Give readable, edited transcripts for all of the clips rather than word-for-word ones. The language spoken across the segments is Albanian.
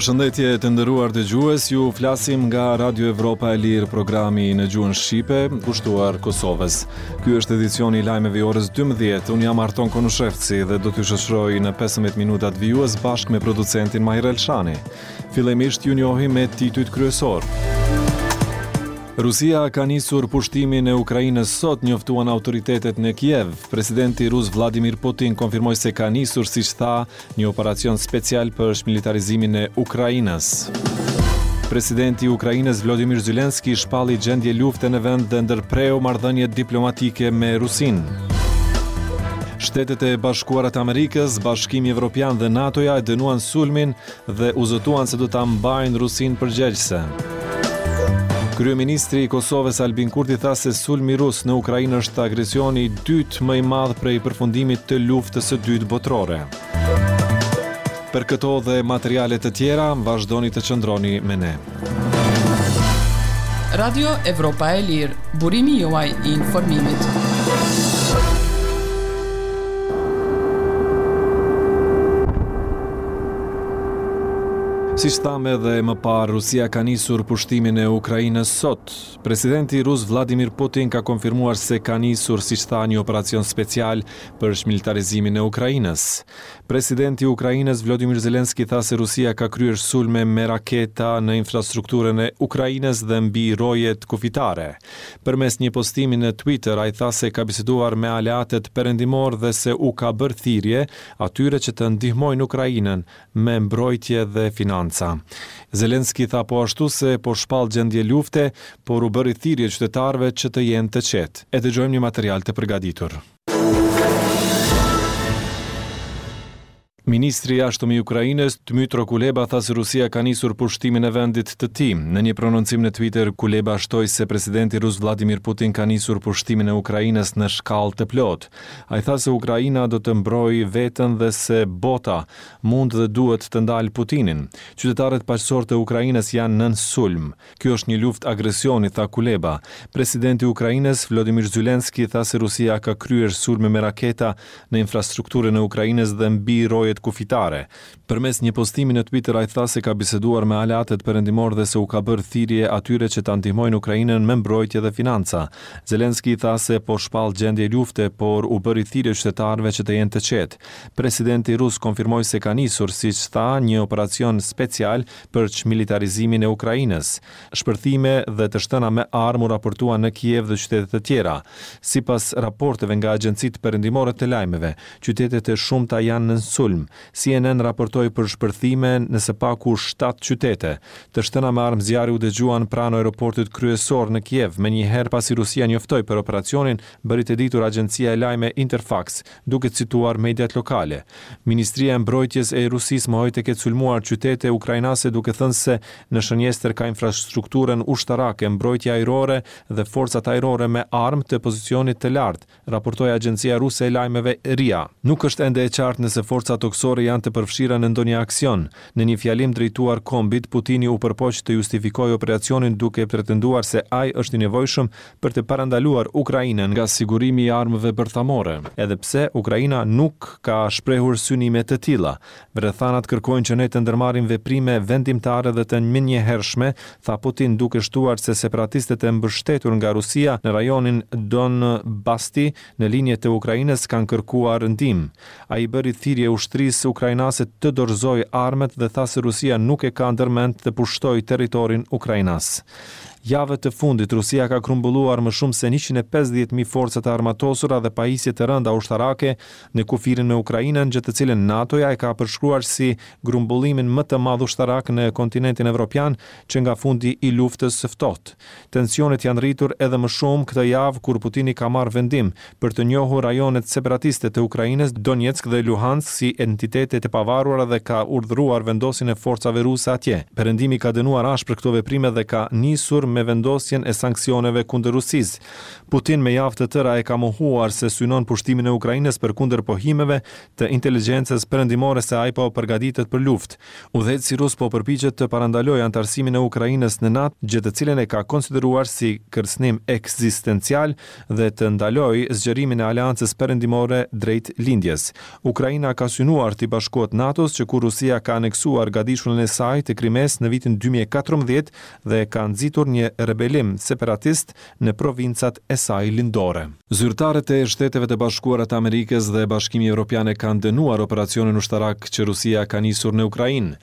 Përshëndetje të nderuar dëgjues, ju flasim nga Radio Evropa e Lirë, programi në gjuhën shqipe, kushtuar Kosovës. Ky është edicioni i lajmeve i orës 12. Unë jam Arton Konushevci dhe do t'ju shoqëroj në 15 minutat vijues bashkë me producentin Mahir Elshani. Fillimisht ju njohim me titujt kryesorë. Rusia ka nisur pushtimin e Ukrainës sot, njoftuan autoritetet në Kiev. Presidenti rus Vladimir Putin konfirmoi se ka nisur, siç tha, një operacion special për çmilitarizimin e Ukrainës. Presidenti i Ukrainës Vladimir Zelensky shpalli gjendje lufte në vend dhe ndërpreu marrëdhëniet diplomatike me Rusinë. Shtetet e Bashkuara të Amerikës, Bashkimi Evropian dhe NATO-ja e dënuan sulmin dhe u zotuan se do ta mbajnë Rusinë përgjegjëse. Kryeministri i Kosovës Albin Kurti tha se sulmi rus në Ukrainë është agresioni i dytë më i madh prej përfundimit të luftës së dytë botërore. Për këto dhe materiale të tjera, vazhdoni të qëndroni me ne. Radio Evropa e Lirë, burimi juaj i informimit. Siç thamë edhe më parë, Rusia ka nisur pushtimin e Ukrainës sot. Presidenti rus Vladimir Putin ka konfirmuar se ka nisur, siç tha, një operacion special për çmilitarizimin e Ukrainës. Presidenti i Ukrainës Vladimir Zelensky tha se Rusia ka kryer sulme me raketa në infrastrukturën e Ukrainës dhe mbi rojet kufitare. Përmes një postimi në Twitter, ai tha se ka biseduar me aleatët perëndimorë dhe se u ka bërë thirrje atyre që të ndihmojnë Ukrainën me mbrojtje dhe financa. Zelensky tha po ashtu se po shpall gjendje lufte, por u bëri thirrje qytetarëve që të jenë të qetë. E dëgjojmë një material të përgatitur. Ministri i Jashtëm i Ukrainës, Dmytro Kuleba tha se Rusia ka nisur pushtimin e vendit të tij. Në një prononcim në Twitter, Kuleba shtoi se presidenti rus Vladimir Putin ka nisur pushtimin e Ukrainës në shkallë të plotë. Ai tha se Ukraina do të mbrojë veten dhe se bota mund dhe duhet të ndalë Putinin. Qytetarët paqësorë të Ukrainës janë nën sulm. Kjo është një luftë agresioni, tha Kuleba. Presidenti i Ukrainës, Vladimir Zelensky, tha se Rusia ka kryer sulme me raketa në infrastrukturën e Ukrainës dhe mbi rojet kufitare. Përmes një postimi në Twitter ai tha se ka biseduar me aleatët perëndimorë dhe se u ka bërë thirrje atyre që ta ndihmojnë Ukrainën me mbrojtje dhe financa. Zelensky tha se po shpall gjendje lufte, por u bëri thirrje qytetarëve që të jenë të qetë. Presidenti rus konfirmoi se ka nisur, siç tha, një operacion special për çmilitarizimin e Ukrainës. Shpërthime dhe të shtëna me armë u raportuan në Kiev dhe qytete të tjera. Sipas raporteve nga agjencitë perëndimore të lajmeve, qytete të shumta janë nën sulm. CNN raportoi për shpërthime në së paku shtatë qytete. Të shtëna me armë zjarri u dëgjuan pranë aeroportit kryesor në Kiev, menjëherë pasi Rusia njoftoi për operacionin, bëri të ditur agjencia e lajme Interfax, duke cituar mediat lokale. Ministria e Mbrojtjes e Rusisë mohoi të ketë sulmuar qytete ukrainase duke thënë se në shënjestër ka infrastrukturën ushtarake, mbrojtje ajrore dhe forcat ajrore me armë të pozicionit të lartë, raportoi agjencia ruse e lajmeve RIA. Nuk është ende e qartë nëse forcat tokësore janë të përfshira në ndonjë aksion. Në një fjalim drejtuar kombit, Putini u përpoq të justifikojë operacionin duke pretenduar se ai është i nevojshëm për të parandaluar Ukrainën nga sigurimi i armëve bërthamore, edhe pse Ukraina nuk ka shprehur synime të tilla. Rrethanat kërkojnë që ne të ndërmarrim veprime vendimtare dhe të menjëhershme, tha Putin duke shtuar se separatistët e mbështetur nga Rusia në rajonin Donbasti në lindje të Ukrainës kanë kërkuar ndihmë. Ai i bëri thirrje ushtrisë ukrainase të dorëzojë armët dhe tha se Rusia nuk e ka ndërmend të pushtojë territorin ukrainas. Javët e fundit, Rusia ka grumbulluar më shumë se 150.000 forca të armatosura dhe pajisje të rënda ushtarake në kufirin me Ukrainën, gjë të cilën NATO-ja e ka përshkruar si grumbullimin më të madh ushtarak në kontinentin evropian që nga fundi i Luftës së Ftohtë. Tensionet janë rritur edhe më shumë këtë javë kur Putini ka marrë vendim për të njohur rajonet separatiste të Ukrainës, Donetsk dhe Luhansk si entitete të pavarura dhe ka urdhëruar vendosjen e forcave ruse atje. Perëndimi ka dënuar ashpër këto veprime dhe ka nisur. me vendosjen e sanksioneve kundër Rusisë. Putin me javë të tëra e ka mohuar se synon pushtimin e Ukrainës përkundër pohimeve të inteligjencës perëndimore se ai po përgatitet për luftë. Udhëheqësi rus po përpiqet të parandalojë anëtarësimin e Ukrainës në NATO, gjë të cilën e ka konsideruar si kërcënim ekzistencial dhe të ndalojë zgjerimin e aleancës perëndimore drejt lindjes. Ukraina ka synuar t'i bashkohet NATO-s që kur Rusia ka aneksuar gadishullin e saj të Krimesë në vitin 2014 dhe ka nxitur një rebelim separatist në provincat e saj lindore. Zyrtarët e Shteteve të Bashkuara të Amerikës dhe Bashkimi Evropian e kanë dënuar operacionin ushtarak që Rusia ka nisur në Ukrainë.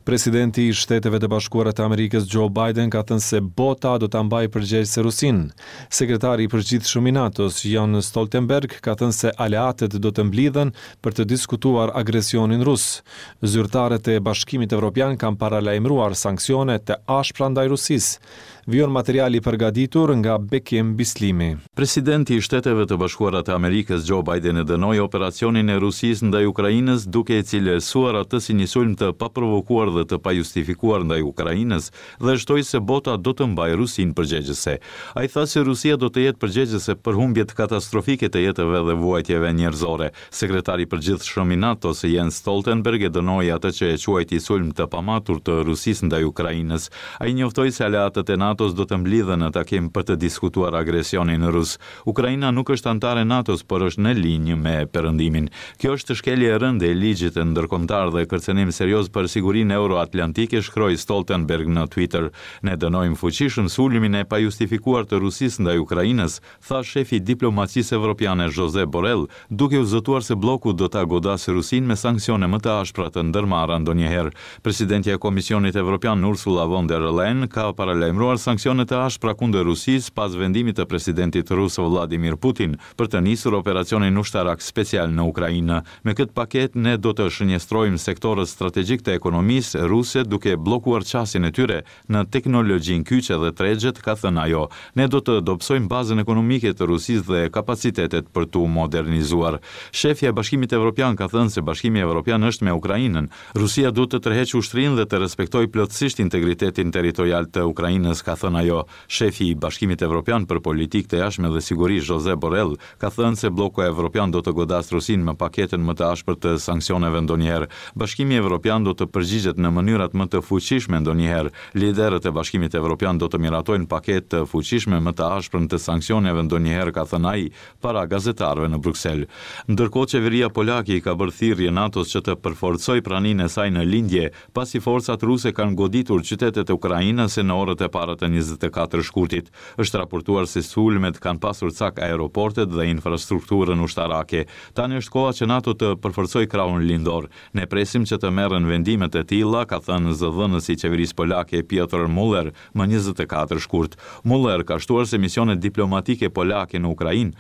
Presidenti i Shteteve të Bashkuara të Amerikës Joe Biden ka thënë se bota do ta mbajë përgjegjëse Rusinë. Sekretari i përgjithshëm i NATO-s, Jens Stoltenberg, ka thënë se aleatët do të mblidhen për të diskutuar agresionin rus. Zyrtarët e Bashkimit Evropian kanë paralajmëruar sanksione të ashpra ndaj Rusisë. Vijon materiali i përgatitur nga Bekim Bislimi. Presidenti i Shteteve të Bashkuara të Amerikës, Joe Biden e dënoi operacionin e Rusisë ndaj Ukrainës duke e cilësuar atë si një sulm të paprovokuar dhe të pajustifikuar ndaj Ukrainës dhe shtoi se bota do të mbajë Rusinë përgjegjëse. Ai tha se Rusia do të jetë përgjegjëse për humbjet katastrofike të jetëve dhe vuajtjeve njerëzore. Sekretari i Përgjithshëm i NATO-s, Jens Stoltenberg e dënoi atë që e quajti sulm të pamatur të Rusisë ndaj Ukrainës. Ai njoftoi se aleatët e NATO-s do të mblidhen në takim për të diskutuar agresionin rus. Ukraina nuk është anëtare e NATO-s, por është në linjë me Perëndimin. Kjo është shkelje e rëndë e ligjit ndërkombëtar dhe kërcënim serioz për sigurinë euroatlantike, shkroi Stoltenberg në Twitter. Ne dënojmë fuqishëm sulmin e pajustifikuar të Rusisë ndaj Ukrainës, tha shefi i diplomacisë evropiane Josep Borrell, duke u zotuar se blloku do ta godasë Rusinë me sanksione më të ashpra të ndërmarra ndonjëherë. Presidentja e Komisionit Evropian Ursula von der Leyen ka paralajmëruar sanksione të ashpra kundër Rusisë pas vendimit të presidentit rus Vladimir Putin për të nisur operacionin ushtarak special në Ukrainë. Me këtë paketë ne do të shënjestrojmë sektorët strategjikë të ekonomisë ruse duke bllokuar qasjen e tyre në teknologjinë kyçe dhe tregjet, ka thënë ajo. Ne do të dobësojmë bazën ekonomike të Rusisë dhe kapacitetet për t'u modernizuar. Shefja e Bashkimit Evropian ka thënë se Bashkimi Evropian është me Ukrainën. Rusia duhet të tërheqë ushtrinë dhe të respektojë plotësisht integritetin territorial të Ukrainës, ka thënë ajo. Shefi i Bashkimit Evropian për Politikë të Jashtme dhe Siguri, Josep Borrell, ka thënë se blloku evropian do të godasë Rusinë me paketën më të ashpër të sanksioneve ndonjëherë. Bashkimi Evropian do të përgjigjet në mënyrat më të fuqishme ndonjëherë. Liderët e Bashkimit Evropian do të miratojnë paketë të fuqishme më të ashprën të sanksioneve ndonjëherë, ka thënë ai para gazetarëve në Bruksel. Ndërkohë qeveria polake i ka bërë thirrje NATO-s që të përforcojë praninë e saj në lindje, pasi forcat ruse kanë goditur qytetet ukrainase në orët e para të 24 shkurtit. Është raportuar se sulmet kanë pasur cak aeroportet dhe infrastrukturën ushtarake. Tani është koha që NATO të përforcojë krahun lindor. Ne presim që të merren vendime të tilla, ka thënë zëdhënësi i qeverisë polake Piotr Muller më 24 shkurt. Muller ka shtuar se misionet diplomatike polake në Ukrainë